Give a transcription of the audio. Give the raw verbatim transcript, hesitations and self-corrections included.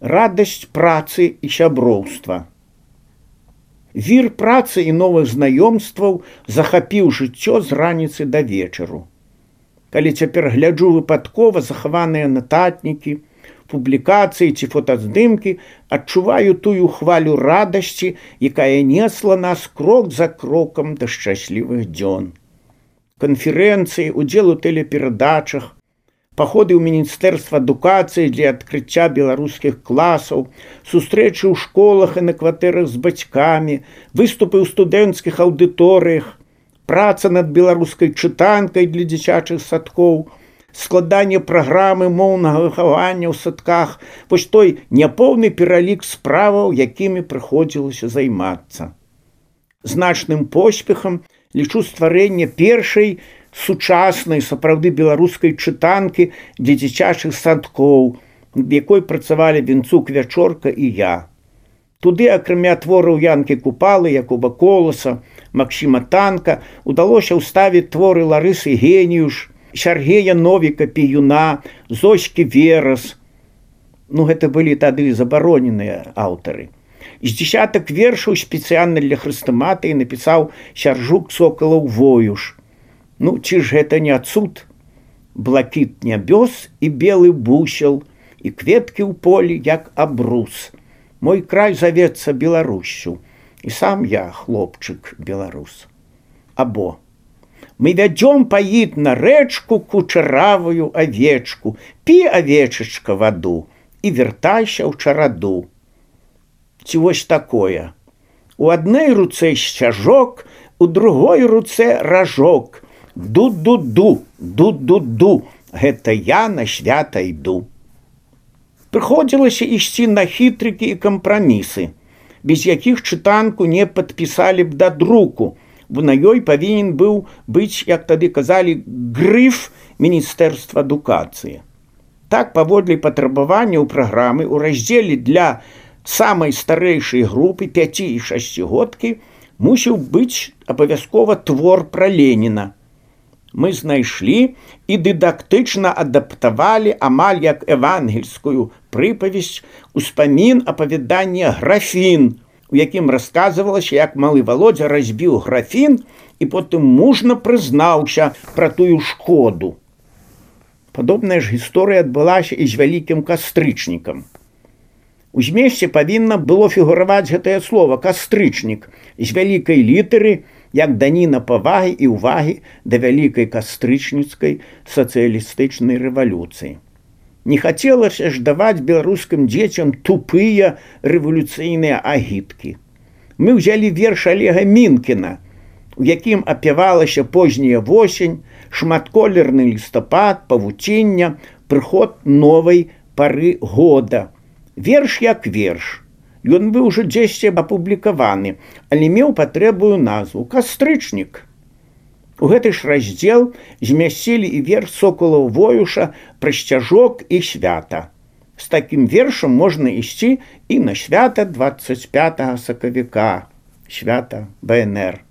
радасць працы і сяброўства. Вір працы і новых знаёмстваў захапіў жыццё з раніцы да вечару. Калі цяпер гляджу выпадкова захаваныя нататнікі, публікацыі ці фотаздымкі, адчуваю тую хвалю радасці, якая несла нас крок за крокам да шчаслівых дзён. Канферэнцыі, удзел у тэлеперадачах, паходы ў Міністэрства адукацыі для адкрыцця беларускіх класаў, сустрэчы ў школах і на кватэрах з бацькамі, выступы ў студэнцкіх аўдыторыях, праца над беларускай чытанкай для дзіцячых садкоў, складанне праграмы моўнага выхавання ў садках, вось той няпоўны пералік справаў, якімі прыходзілася займацца. Значным поспехам лічу стварэнне першай сучаснай сапраўды беларускай чытанкі для дзіцячых садкоў, над якой працавалі Вінцук, Вячорка і я. Туды, акрамя твораў Янкі Купалы, Якуба Коласа, Максіма Танка, удалося ўставіць творы Ларысы Геніюш, Сяргея Новіка Піюна, Зоські Верас. Ну, гэта былі тады забароненыя аўтары. З дзесятак вершаў спецыяльна для хрэстаматыі напісаў Сяржук Сокалаў Воюш. Ну, ці ж гэта не цуд? Блакіт нябёс і белы бусел, і кветкі ў полі, як абрус. Мой край завецца Беларуссю, і сам я, хлопчык, беларус. Або мы вядзём паіць на рэчку кучаравую авечку, пі, авечачка, ваду, і вяртайся ў чараду. Ці вось такое. У адной руцэ сцяжок, у другой руцэ ражок. Ду-ду-ду, ду-ду-ду, гэта я на свята іду. Прыходзілася ісці на хітрыкі і кампрамісы, без якіх чытанку не падпісалі б да друку, бо на ёй павінен быў быць, як тады казалі, грыф Міністэрства адукацыі. Так, паводле патрабавання ў праграмы ў раздзеле для самай старэйшай групы пяці і шасцігодкі мусіў быць абавязкова твор пра Леніна. Мы знайшлі і дыдактычна адаптавалі амаль як евангельскую прыпавесць успамін апавядання «Графін», у якім расказвалася, як малы Володя разбіў графін і потым мужна прызнаўся пра тую шкоду. Падобная ж гісторыя адбылася і з вялікім кастрычнікам. У змесце павінна было фігураваць гэтае слова «кастрычнік» з вялікай літары, як даніна павагі і ўвагі да вялікай кастрычніцкай сацыялістычнай рэвалюцыі. Не хацелася ж даваць беларускім дзецям тупыя рэвалюцыйныя агіткі. Мы ўзялі верш Олега Мінкіна, у якім апявалася позняя восень, шматколерны лістапад, павуціння, прыход новай пары года. Верш як верш. Ён быў ужо дзесьці апублікаваны, але меў патрэбную назву «Кастрычнік». У гэты ж раздзел змясцілі і верш Сокалаў Воюша пра сцяжок і свята. З такім вершам можна ісці і на свята дваццаць пятага сакавіка, свята бэ эн эр.